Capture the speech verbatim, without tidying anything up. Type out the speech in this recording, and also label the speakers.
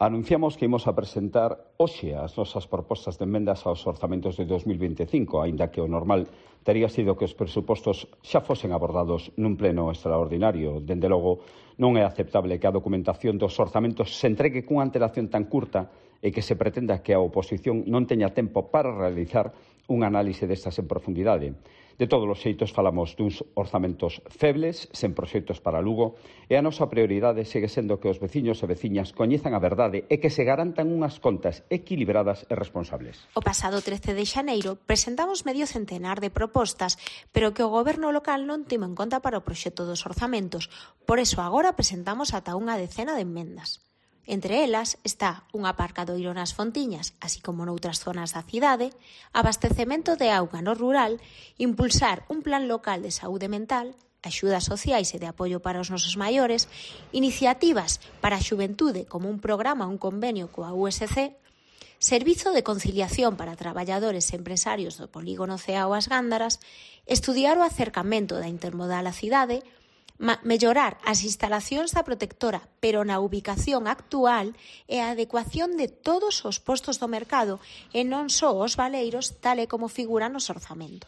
Speaker 1: Anunciamos que imos a presentar hoxe as nosas propostas de emendas aos orzamentos de dos mil vinte e cinco, aínda que o normal tería sido que os presupostos xa fosen abordados nun pleno extraordinario. Dende logo, non é aceptable que a documentación dos orzamentos se entregue cunha antelación tan curta e que se pretenda que a oposición non teña tempo para realizar un análise destas en profundidade. De todos os xeitos, falamos duns orzamentos febles, sen proxectos para Lugo, e a nosa prioridade segue sendo que os veciños e veciñas coñezan a verdade e que se garantan unhas contas equilibradas e responsables.
Speaker 2: O pasado trece de xaneiro presentamos medio centenar de propostas, pero que o goberno local non timo en conta para o proxecto dos orzamentos. Por eso agora presentamos ata unha decena de emendas. Entre elas está un aparcadoiro nas Fontiñas, así como noutras zonas da cidade, abastecemento de auga no rural, impulsar un plan local de saúde mental, axudas sociais e de apoio para os nosos maiores, iniciativas para a xuventude como un programa, un convenio coa U S C, servizo de conciliación para traballadores e empresarios do polígono Ceao As Gándaras, estudiar o acercamento da intermodal á cidade, mellorar as instalacións da protectora, pero na ubicación actual e a adecuación de todos os postos do mercado e non só os baleiros, tal e como figuran nos orzamentos.